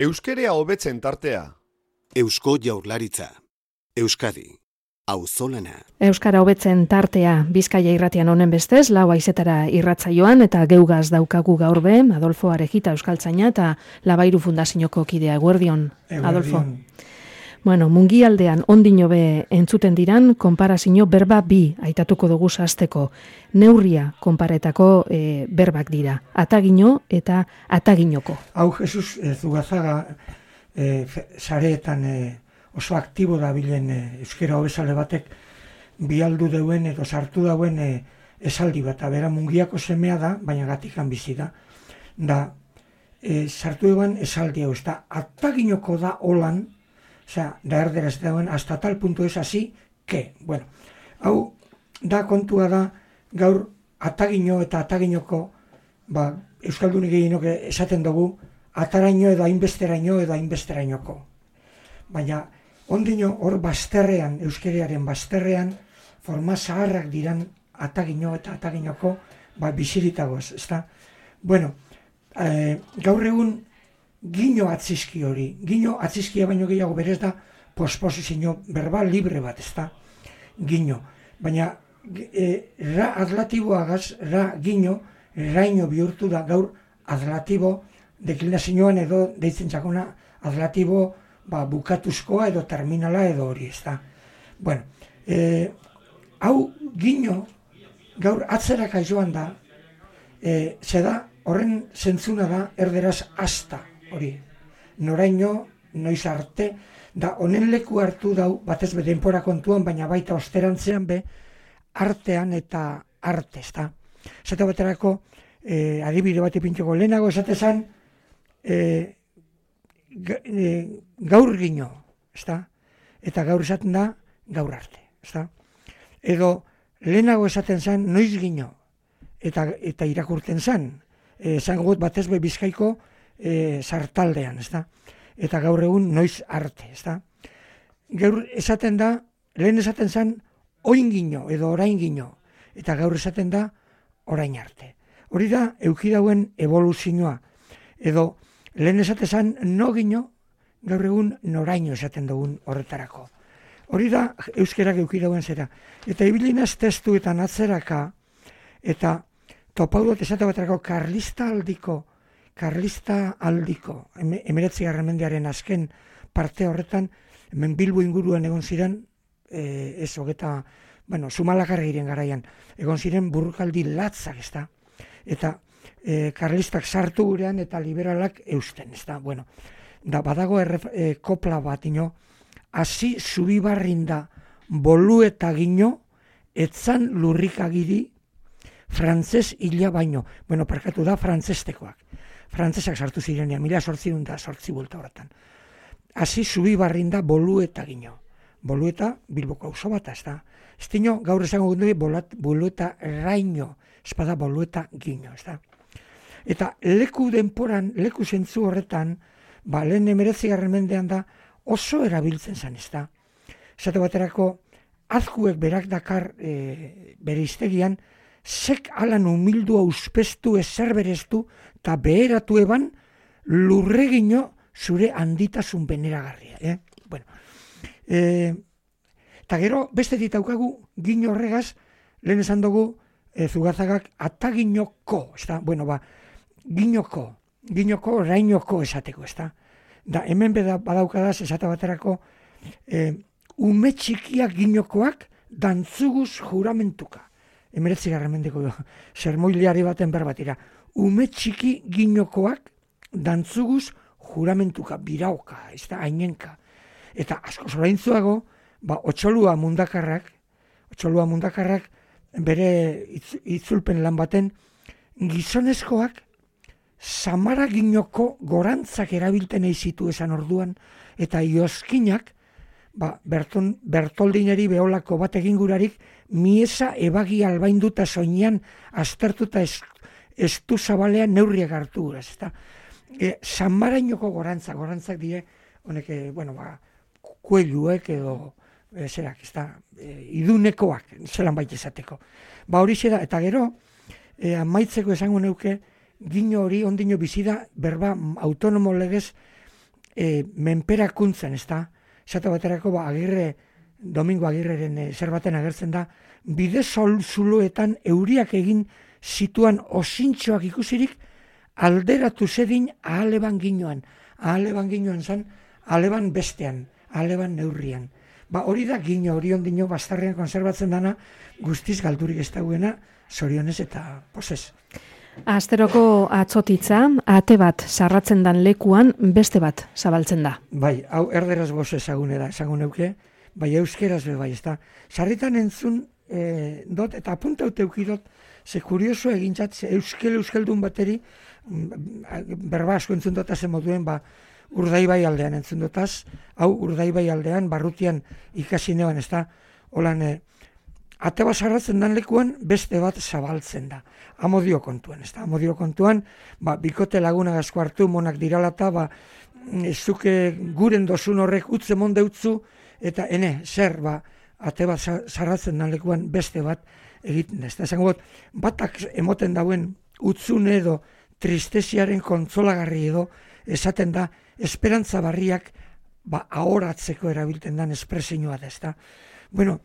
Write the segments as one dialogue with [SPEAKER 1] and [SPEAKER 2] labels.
[SPEAKER 1] Euskerea hobetzen tartea.
[SPEAKER 2] Eusko Jaurlaritza. Euskadi. Auzolana.
[SPEAKER 3] Euskara hobetzen tartea Bizkaia irratian honen bestez, 4 haizetara irratsaioan eta geugaz daukagu gaur be, Adolfo Arejita euskaltzaina eta Labairu Fundazioko kidea. Eguerdion, Adolfo. Bueno, mungialdean ondino be entzuten diran, konparazio berba bi aitatuko dugu hasteko. Neurria konparetako berbak dira. Atagino eta ataginoko.
[SPEAKER 4] Hau, Jesus Zugazaga sareetan oso aktibo dabilen euskera hobezale batek bialdu deuen edo sartu dauen esaldi bat. Bera mungiako semea da, baina Gatikan bizi da. Da, sartu deuen esaldi hau, ez da, ataginoko da holan, da erderaz dauen, hasta tal punto es así, que, bueno, hau, da kontua da, gaur atagino eta ataginoko, Euskaldunik gehienok esaten dugu, ataraino edo hainbesteraino edo hainbesterainoko. Baina, ondino hor bazterrean, euskerearen bazterrean, forma zaharrak diran atagino eta ataginoko, biziritagoz, ezta? Bueno, gaur egun, gino atzizki hori. Gino atzizkia baino gehiago berez da posposizio verbal libre bat, ezta? Gino. Baina, ra adlatiboagaz, ra gino, raino bihurtu da gaur adlatibo deklinazioan edo deitzen txakona adlatibo bukatuzkoa edo terminala edo hori, ezta? Bueno, hau gino gaur atzeraka joan da, zeda horren zentzuna da erderaz hasta hori. Noraino, noiz arte, da honen leku hartu dau, batez be denpora kontuan, baina baita osterantzean be, artean eta arte, ezta? Zata baterako, adibide bat ipintzeko lehenago esatezan, gaur gino, ezta? Eta gaur esaten da, gaur arte, ezta? Edo lehenago esaten zen, noiz gino, eta irakurten zen, esan gut batez be Bizkaiko sartaldean, ezta? Eta gaur egun noiz arte, ezta? Gaur esaten da, lehen esaten zen, oin gino edo orain gino, eta gaur esaten da, orain arte. Hori da, eukidauen evoluzioa, edo lehen esaten zen, no gino, gaur egun noraino esaten dugun horretarako. Hori da, euskerak eukidauen zera. Eta ibilinaz testuetan atzeraka, eta topaudot esate baterako karlista aldiko, 19. mendearen azken parte horretan, hemen Bilbo inguruan egon ziren, Zumalakarregiren garaian, egon ziren burrukaldi latzak, ezta? Eta karlistak sartu gurean eta liberalak eusten, ezta? Bueno, da badago kopla bat, hasi zubibarrinda bolu eta gino, etzan lurrikagiri, frantzes hila baino. Bueno, parkatu da frantzestekoak. Frantzesak sartu zirenean, 1808 buelta horretan. Hasi zubibarrinda bolu eta gino. Bolu eta Bilboko auzo bat, ez da? Ez dino, gaur esango gundu bolu eta raino, espada bolu eta gino, ez da? Eta leku denporan, leku zentzu horretan, lehen 19. mendean da oso erabiltzen zen, ez da? Esate baterako, azkuek berak dakar bere hiztegian, zek alan humildua uspestu ezer bereztu eta beheratu eban lurregino zure handitasun beneragarria. Bueno, eta gero beste ditaukagu gino horregaz, lehen esan dugu Zugazagak ataginoko, ez da? Bueno, ginoko orainoko esateko, ez da? Da, hemen badaukadaz esate baterako ume txikiak ginokoak dantzuguz juramentuka. 19. mendeko sermoiliari baten berbatira. Ume txiki ginokoak dantzuguz juramentuka, birauka, ez da, ainenka. Eta asko zoraintzuago, otxolua mundakarrak bere itzulpen lan baten, gizonezkoak samara ginoko gorantzak erabilten eizitu esan orduan, eta iozkinak, Bertoldineri beholako bat egingurarik, miesa ebagi albainduta soinean aztertuta estu zabalean neurriak hartu guraz, ezta? Samarainoko gorantzak die, honek, kueluek edo, zerak, ezta, idunekoak, zelan baita esateko. Hori zera, eta gero, amaitzeko esango neuke, gino hori ondino bizida berba autonomo legez menperakuntzan, ez da? Esate baterako, Domingo Agirreren zer baten agertzen da, bide zuloetan euriak egin zituan osintxoak ikusirik, alderatu zedin ahaleban ginoan. Ahaleban ginoan zen, ahaleban bestean, ahaleban neurrian. Hori da gino, hori ondino bastarrean konserbatzen dana, guztiz galdurik ez dagoena, zorionez eta posez.
[SPEAKER 3] Asteroko atzotitza, ate bat sarratzen dan lekuan, beste bat zabaltzen da.
[SPEAKER 4] Bai, hau erderaz gozo ezagun euke, bai euskeraz be bai, ez da. Sarritan entzun dot, eta apuntaute eukidot, ze kurioso egintzat, ze euskeldun bateri, berba asko entzun dotazen moduen, Urdaibai aldean entzun dotaz, hau Urdaibai aldean, barrutian ikasi neban, ez da, holan, ate bat sarratzen dan lekuan, beste bat zabaltzen da. Amodio kontuan, ez da, amodio kontuan, bikote laguna gazko hartu, monak diralata, zuke guren dozun horrek utze monde utzu, eta zer, ate bat sarratzen dan lekuan, beste bat egiten da. Ez da, esango batak emoten dauen utzune edo tristesiaren kontzolagarri edo, esaten da, esperantza barriak ahoratzeko erabilten dan espresioa da, ez da. Bueno,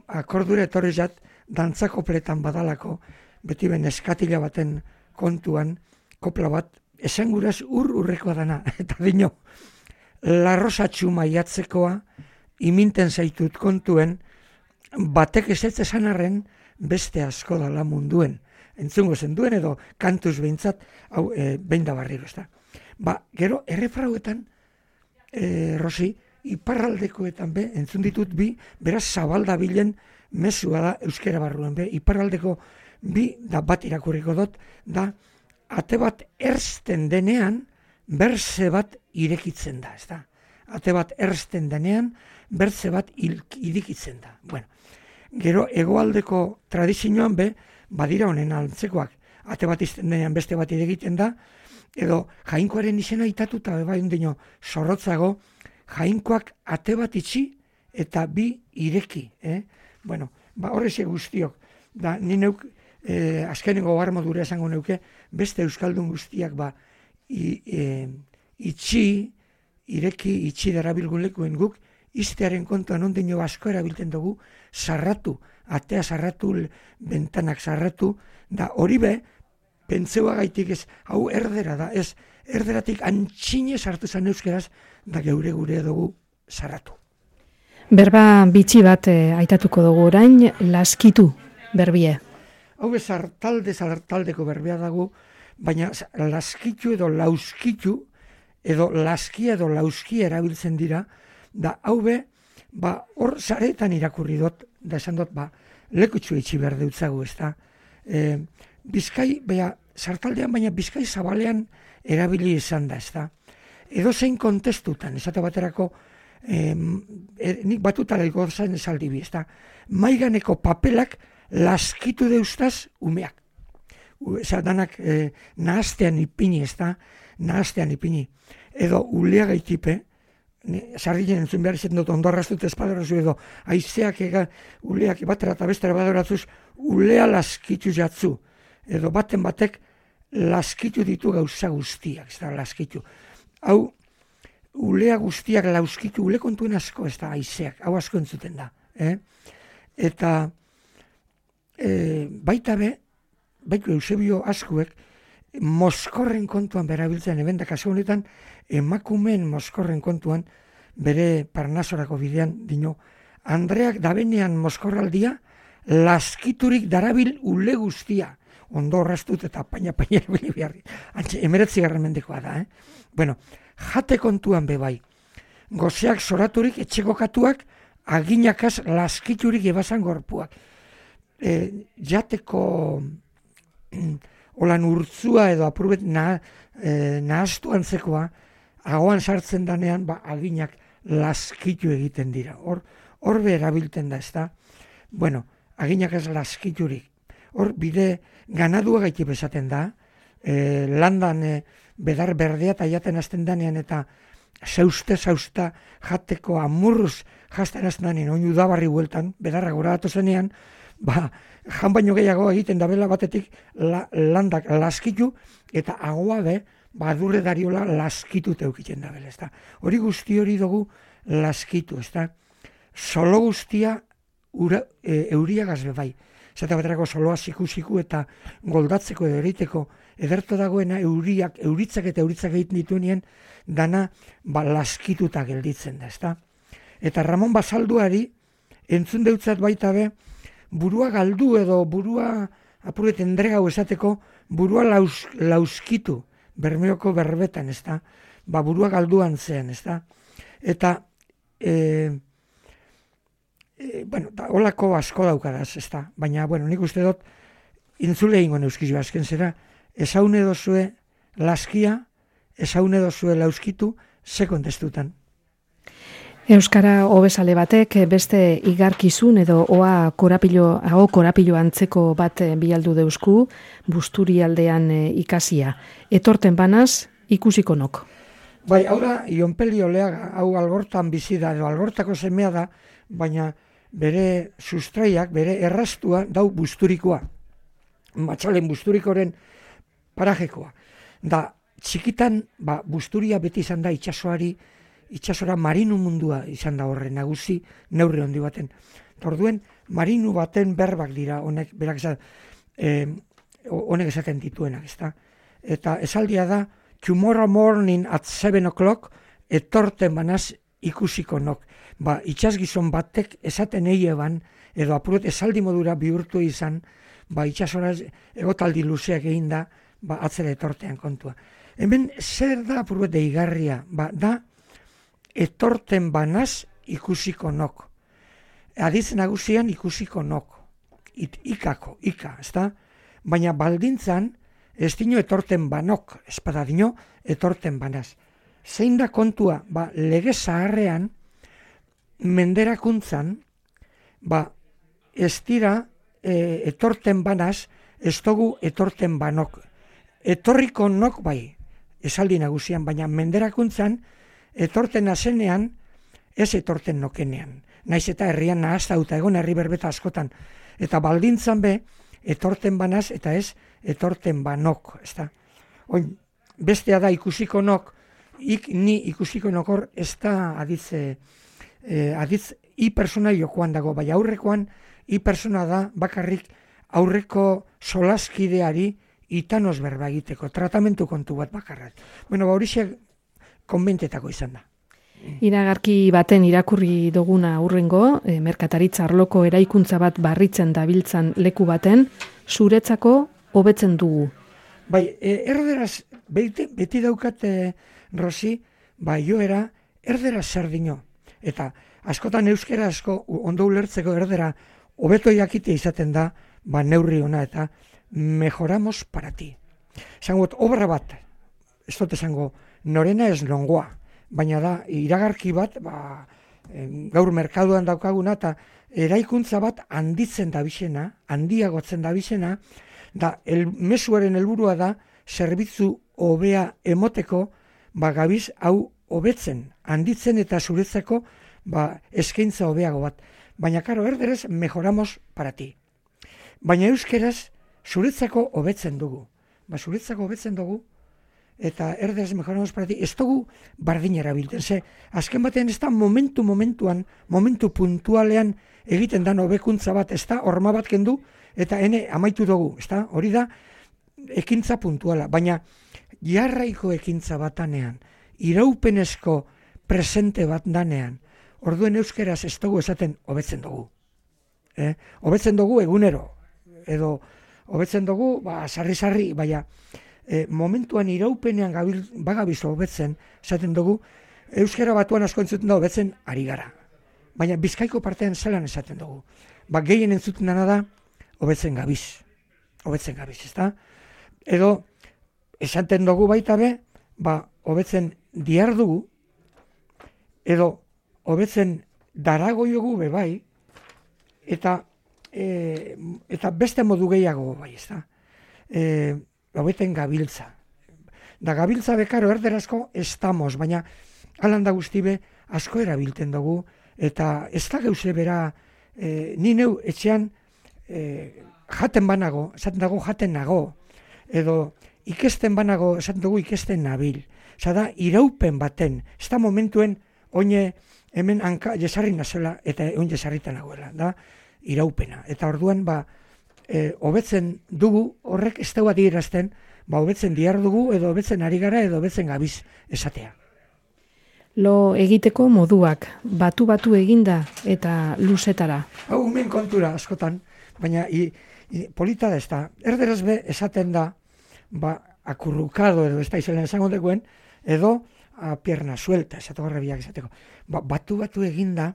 [SPEAKER 4] akordura etorri jat, dantzakopletan badalako, beti ben eskatila baten kontuan, kopla bat, esanguraz urrekoa dana, eta dino, larrosatxu maiatzekoa, iminten zaitut kontuen, batek ez esan arren, beste asko dala munduen. Entzungo zen duen edo kantuz behintzat, hau behin da barriro, ez da. Gero, errefrauetan, Rosi, iparraldekoetan entzun ditut beraz zabaldabilen mezua da euskera barruan iparraldeko da bat irakurriko dut, da ate bat erzten denean, berze bat irekitzen da, ez da. Ate bat erzten denean, berze bat irikitzen da. Bueno, gero, hegoaldeko tradizioan badira honen antzekoak, ate bat izten denean beste bat irekiten da, edo jainkoaren izena itatuta bai ondino zorrotzago, jainkoak ate bat itxi eta bi ireki. Bueno, horreze guztiok, da ni neuk azkenengo garmodura esango neuke, beste euskaldun guztiak itxi darabilgun lekuen guk, iztearen kontuan ondino asko erabilten dugu, sarratu, atea sarratu, bentanak sarratu, da hori pentseua gaitik ez, hau erdera da, ez erderatik antxine sartu zan euskeraz, da gure dugu sarratu.
[SPEAKER 3] Berba bitxi bat aitatuko dugu orain, laskitu berbie.
[SPEAKER 4] Hau zartaldeko berbea dago, baina laskitu edo lauskitu, edo laskia edo lauskia erabiltzen dira, da hau hor zaretan irakurri dut, da esan dut, lekutxu itxi behar deutzagu, ez da. Bizkai, zartaldean, baina Bizkai zabalean erabili izan da, ez da. Edo zein kontestutan, esate baterako, nik batutaliko zain esaldibi, ez da. Maiganeko papelak laskitu deustaz umeak. Eza, danak nahaztean ipini, ez da, nahaztean ipini. Edo ulea gaitipe, sardinen entzun behar izaten dut ondorraztut espadorazu edo, aizeak uleak batera eta bestera badoratzuz, ulea laskitu jatzu. Edo batek laskitu ditu gauza guztiak, ez da, laskitu. Hau, ulea guztiak lauskitu, ule kontuen asko, ez da, aizeak, hau asko entzuten da. Eta baita baitu Eusebio askuek, moskorren kontuan berabiltzen, ebenda kasu honetan, emakumeen moskorren kontuan, bere Parnasorako bidean, dino, Andreak dabenean moskorraldia, laskiturik darabil ule guztia, ondo horraztut eta paina erabili beharri. Antxe, 19. mendekoa da, Bueno, jate kontuan bai. Gozeak zoraturik, etxekokatuak, aginakaz laskiturik ebazan gorpuak. Jateko holan urtzua edo apurbet nahaztu antzekoa, agoan sartzen danean, aginak laskitu egiten dira. Hor erabilten da, ez da. Bueno, aginakaz laskiturik. Hor bide ganadua gaiti bezaten da, landan bedar berdea eta jaten azten danean eta zausta jateko amurruz jazten azten danean, oin udabarri bueltan, bedarra gora datu zenean, jan baino gehiago egiten da bela batetik landak laskitu eta agoa adurre dariola laskitut eukiten da bela, ezta. Hori guzti hori dugu laskitu, ezta. Solo guztia euriagaz bai. Zata baterako soloa siku eta goldatzeko edo ereiteko ederto dagoena euritzak egiten dituenien dana laskituta gelditzen da, ezta. Eta Ramon Basalduari entzun deutzat baita be, burua galdu edo burua apuret endregau esateko, burua lauskitu, Bermeoko berbetan, ezta, burua galduan zen, ezta, eta, holako asko daukadaz, ezta, baina, nik uste dut, intzule ingo neuskizu azken zera, ezaune dozue laskia, ezaune dozue lauskitu, ze kontestutan.
[SPEAKER 3] Euskara hobesale batek beste igarkizun edo oa korapilo antzeko bat bialdu deusku, Busturi aldean ikasia. Etorten banaz, ikusiko nok.
[SPEAKER 4] Bai, hau da, Ionpeli Oleaga, hau Algortan bizi da, edo Algortako semea da, baina bere sustraiak, bere erraztua, dau Busturikoa. Matxalen Busturikoren parajekoa. Da, txikitan, Busturia beti izan da itsasora marinu mundua izan da horre nagusi neurri handi baten. Orduen marinu baten berbak dira honek esaten dituenak, ezta? Eta esaldia da tomorrow morning at 7 o'clock etorten banaz ikusiko nok. Itsasgizon batek esaten eban edo apuret esaldi modura bihurtu izan, itsasora egotaldi luzeak egin da, atzera etortean kontua. Hemen zer da apuret deigarria? Da etorten banaz ikusiko nok. Aditz nagusian ikusiko nok. Ika, ezta? Baina baldintzan, ez dino etorten banok, espada dino etorten banaz. Zein da kontua, lege zaharrean, menderakuntzan, ez dira etorten banaz, ez dugu etorten banok. Etorriko nok bai, esaldi nagusian, baina menderakuntzan, etorten azenean, ez etorten nokenean. Naiz eta herrian nahaztauta egon herri berbeta askotan. Eta baldintzan be, etorten banaz eta ez etorten banok. Bestea da ikusiko nok, ni ikusiko nokor ez da aditz i persona jokoan dago, bai aurrekoan i persona da bakarrik aurreko solaskideari itanoz berba egiteko, tratamentu kontu bat bakarrak. Horixe konbentetako izan da.
[SPEAKER 3] Iragarki baten irakurri duguna urrengo, merkataritza arloko eraikuntza bat barritzen dabiltzan leku baten, zuretzako hobetzen dugu.
[SPEAKER 4] Bai, erderaz, beti daukat, Rosi, joera, erderaz zer dino. Eta askotan euskera asko ondo ulertzeko erdera hobeto jakite izaten da, neurri ona eta mejoramos para ti. Zangot, obra bat, ez dut esango, norena ez nongoa, baina da, iragarki bat, gaur merkaduan daukaguna, eta eraikuntza bat handitzen handiagotzen dabizena, da, mezuaren helburua da, zerbitzu hobea emoteko, gabiz hau hobetzen, handitzen eta zuretzeko, eskaintza hobeago bat. Baina, karo, erderez, mejoramos para ti. Baina euskeraz, zuretzako hobetzen dugu. Zuretzako hobetzen dugu, eta erderez mejoramos para ti, ez dugu bardin erabilten. Azken batean ez da momentuan, momentu puntualean egiten da hobekuntza bat, ez da horma bat kendu, eta amaitu dugu, ez da, hori da, ekintza puntuala. Baina, jarraiko ekintza bat danean, iraupenezko presente bat danean, orduen euskeraz ez dugu esaten hobetzen dugu. Hobetzen dugu egunero, edo hobetzen dugu, sarri-sarri, baina momentuan iraupenean bagabiz hobetzen, esaten dugu, euskera batuan asko entzuten da hobetzen ari gara. Baina Bizkaiko partean zelan esaten dugu. Gehien entzuten dana da, hobetzen gabiz, ez da? Edo, esaten dugu baita be, hobetzen diar dugu, edo hobetzen darago jogu be bai, eta beste modu gehiago bai, ez da? Hobeten gabiltza. Da gabiltza bekaro erderazko estamos, baina alanda guztibe asko erabilten dugu, eta ez da geuse bera, ni neu etxean jaten banago, esaten dago jaten nago, edo ikesten banago, esaten dugu ikesten nabil. Osa da, iraupen baten, ez da momentuen, oine hemen hanka jesarri nazela, eta oin jesarritan nagoela, da, iraupena. Eta orduan, hobetzen dugu, horrek ez dagoa dirazten, hobetzen dihar dugu, edo hobetzen ari gara, edo hobetzen gabiz esatea.
[SPEAKER 3] Lo egiteko moduak, batu eginda eta luzetara.
[SPEAKER 4] Hau, hemen kontura askotan, baina polita da ez da. Erderaz be esaten da, akurrukado edo ez da izelen esango dekuen, edo a pierna suelta, esateko garrabiak esateko. Batu eginda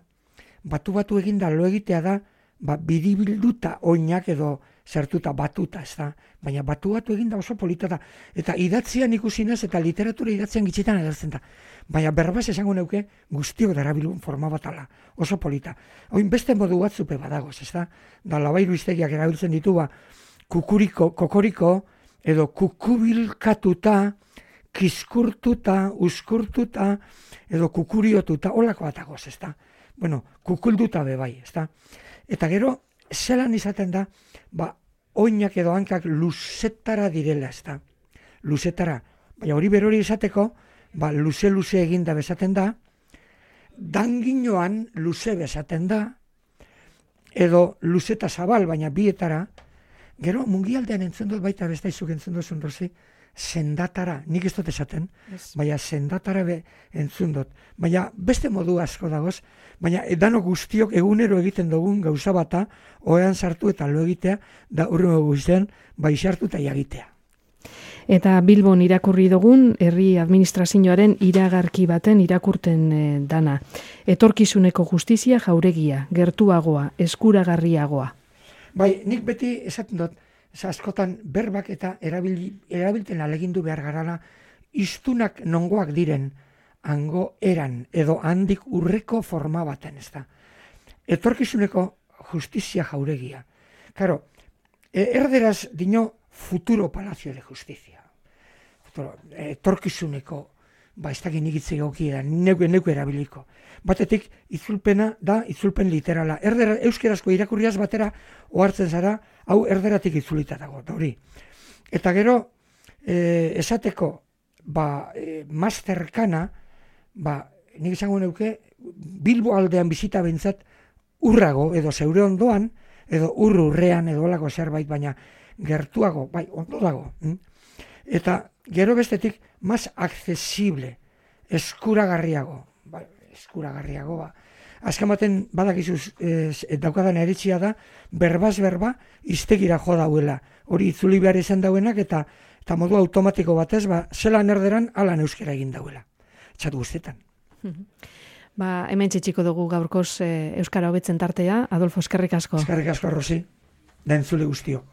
[SPEAKER 4] lo egitea da, biribilduta oinak edo zertuta batuta, ez da. Baina batu eginda oso polita da. Eta idatzian ikusinez eta literatura idatzian gitzitan agertzen da. Baina berbaz esango neuke guztiok darabilun forma batala. Oso polita. Oin beste modu batzupe badagoz, ez da. Da Labairu hiztegiak erabiltzen ditu kokoriko, edo kukubilkatuta, kiskurtuta, uskurtuta, edo kukuriotuta, holako batagoz, ez da. Bueno, kukulduta bebai, ez da. Eta gero, zelan izaten da, oinak edo hankak luzetara direla, ez da. Luzetara. Baina hori berori izateko, luze eginda bezaten da, danginoan luze bezaten da, edo luzeta zabal, baina bietara, gero mungialdean entzun dut baita bestaizuk entzun duzun rozi, sendatara, nik ez dut esaten, baina sendatara entzun dut. Baina beste modu asko dagoz, baina edano guztiok egunero egiten dugun gauza bata, oean sartu eta lo egitea, da urrengo guztien, sartu eta jagitea.
[SPEAKER 3] Eta Bilbon irakurri dugun, herri administrazioaren iragarki baten irakurten dana. Etorkizuneko justizia jauregia, gertuagoa, eskuragarriagoa.
[SPEAKER 4] Bai, nik beti esaten dut, askotan berbak eta erabilten alegindu behar garala, iztunak nongoak diren, hango eran, edo handik urreko forma baten, ez da. Etorkizuneko justizia jauregia. Karo, erderaz dino futuro palacio de justicia. Etorkizuneko, ez dakit nigitze gokia, neuke erabiliko. Batetik, itzulpena da itzulpen literala. Euskerazko irakurriaz batera ohartzen zara, hau erderatik itzulita dago, da hori. Eta gero, esateko, masterkana, nik izango neuke, Bilbo aldean bizita bintzat urrago, edo zeure ondoan, edo urrean, edo olako zerbait, baina gertuago, ondo dago. Eta gero bestetik, mas accesible, eskuragarriago, azken baten badakizuz daukadan eritzia da, berbaz berba iztegira jo dauela. Hori itzuli behar izan dauenak eta modu automatiko batez, zelan erderan alan euskera egin dauela. Txatu guztetan.
[SPEAKER 3] Hemen txetxiko dugu gaurkoz euskara hobetzen tartea. Adolfo, eskerrik asko.
[SPEAKER 4] Eskerrik asko, Rosi. Da entzule guztio.